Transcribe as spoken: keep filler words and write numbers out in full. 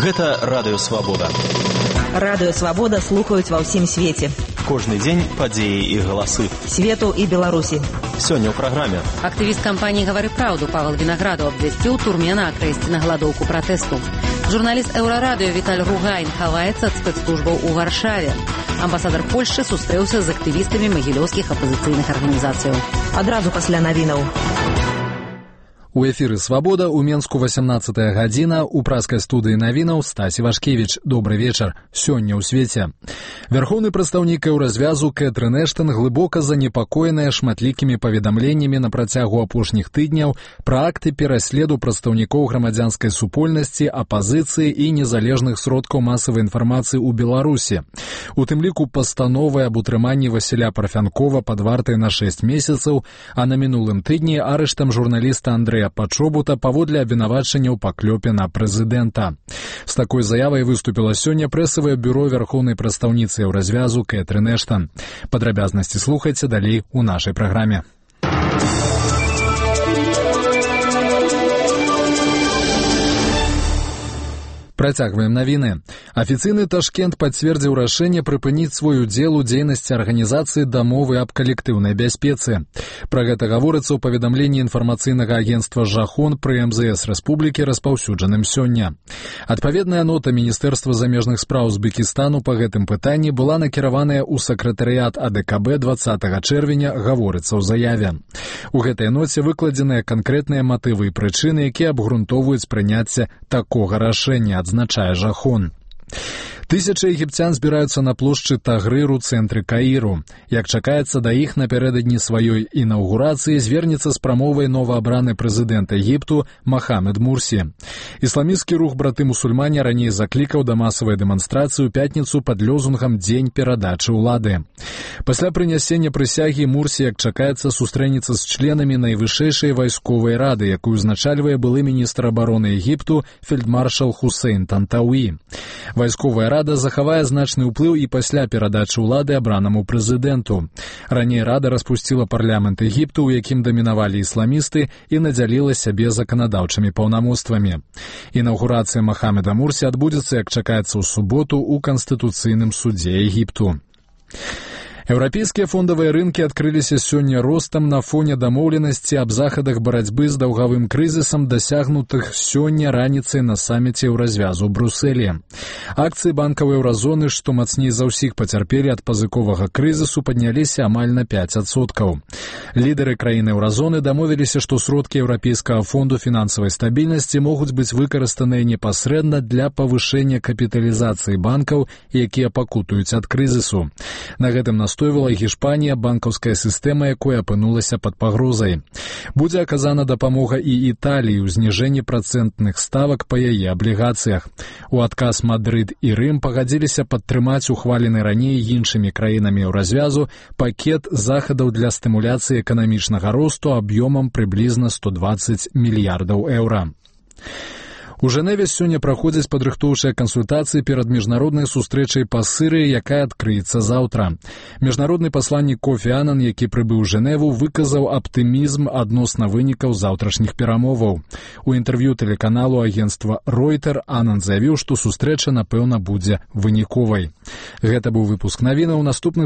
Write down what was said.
Гэта Радыё Свабода. Радыё Свабода слухаюць ва ўсім свеце. Кожны дзень падзеі і галасы. Свету і Беларусі. Сёння ў праграме. Актывіст кампаніі «Гавары праўду» Павел Вінаграду абвясціў турмена акрэсці на галадоўку пратэсту. Журналіст Еўрарадыё Віталь Ругайн хаваецца ад спецслужбаў у Варшаве. Амбасадар Польшчы сустрэўся з актывістамі магілёўскіх апазіцыйных арганізацыяў. Адразу пасля навінаў. У эфіры «Свабода» у Менску восемнадцатая гадзіна, у праскай студыі навінаў Стась Івашкевіч. Добры вечар. Сёння ў свеце. Вярхоўны прадстаўнік Еўразвязу Кэтрын Эштан глыбока занепакоеная шматлікімі паведамленнямі на працягу апошніх тыдняў пра акты пераследу прадстаўнікоў грамадзянскай супольнасці, апазіцыі і незалежных сродкаў масавай інфармацыі ў Беларусі. У тым ліку пастановы аб утрыманні Васіля Парфянкова пад вартай на шэсць месяцаў, а на мінулым тыдні арыштам журналіста Андрэя Пачобута паводле абвінавачанняў па клёпе на прэзідэнта. З такой заявай выступіла сёння прэсавае бюро вярхоўнай прадстаўніцы Еўразвязу Кэтрын Эштан. Падрабязнасці слухайце далей у нашай праграме. Працягваем навіны. Афіцыйны Ташкент пацвердзіў рашэнне прыпыніць свой удзел у дзейнасці арганізацыі дамовы аб калектыўнай бяспецы. Пра гэта гаворыцца ў паведамленні інфармацыйнага агенцтва «Жахон» пры эм зэ эс рэспублікі, распаўсюджаным сёння. Адпаведная нота Міністэрства замежных спраў Узбекістану па гэтым пытанні была накіраваная ў сакратарыят а дэ ка бэ дваццатага чэрвеня, гаворыцца ў заяве. У гэтай ноце выкладзеныя канкрэтныя матывы і прычыны, якія абгрунтоўваюць прыняцце такога рашэння, адзначае «Жахон». Тысячы егіпцян збіраюцца на плошчы Тагрыр у цэнтры Каіру. Як чакаецца, да іх напярэдадні сваёй інаўгурацыі звернецца з прамовай новаабраны прэзідэнт Егіпту Махамед Мурсі. Ісламісцкі рух браты-мусульмане раней заклікаў да масавай дэманстрацыі ў пятніцу пад лозунгам «Дзень перадачы ўлады». Пасля прынясення прысягі Мурсі, як чакаецца, сустрэнецца з членамі найвышэйшай вайсковай рады, якую узначальвае былы міністр абароны Егіпту фельдмаршал Хусейн Тантауі. Вайсковая рада захавае значны ўплыў і пасля перадачы ўлады абранаму прэзідэнту. Раней рада распусціла парламент Егіпту, у якім дамінавалі ісламісты, і надзяліла сябе заканадаўчымі паўнамоцтвамі. Інаўгурацыя Махамеда Мурсі адбудзецца, як чакаецца, ў суботу ў Канстытуцыйным судзе Егіпту. Еўрапейскія фондавыя рынкі адкрыліся сёння ростам на фоне дамоўленасці аб захадах барацьбы з даўгавым крызісам, дасягнутых сёння раніцай на саміце Еўразвязу ў Брусэлі. Акцыі банкаў еўразоны, што мацней за ўсіх пацярпелі ад пазыковага крызісу, падняліся амаль на пяць адсоткаў. Лідары краін еўразоны дамовіліся, што сродкі Еўрапейскага фонду фінансавай стабільнасці могуць быць выкарыстаныя непасрэдна для павышэння капіталізацыі банкаў, якія пакутуюць ад крызісу. На гэтым настойвала Гішпанія, банкаўская сістэма, якой апынулася пад пагрозай. Будзе аказана дапамога і Італіі ў зніжэнні працэнтных ставак па яе аблігацыях. У адказ Мадрыд і Рым пагадзіліся падтрымаць ухвалены раней іншымі краінамі Еўразвязу пакет захадаў для стымуляцыі эканамічнага росту аб'ёмам прыблізна сто дваццаць мільярдаў еўра. У Жэневе сёння праходзяць падрыхтоўчыя кансультацыі перад міжнароднай сустрэчай па Сырыі, якая адкрыецца заўтра. Міжнародны пасланнік Кофі Анан, які прыбыў у Жэневу, выказаў аптымізм адносна вынікаў заўтрашніх перамоваў. У інтэрв'ю тэлеканалу агенцтва Ройтер Анан заявіў, што сустрэча, напэўна, будзе выніковай. Гэта быў выпуск навінаў. Наступны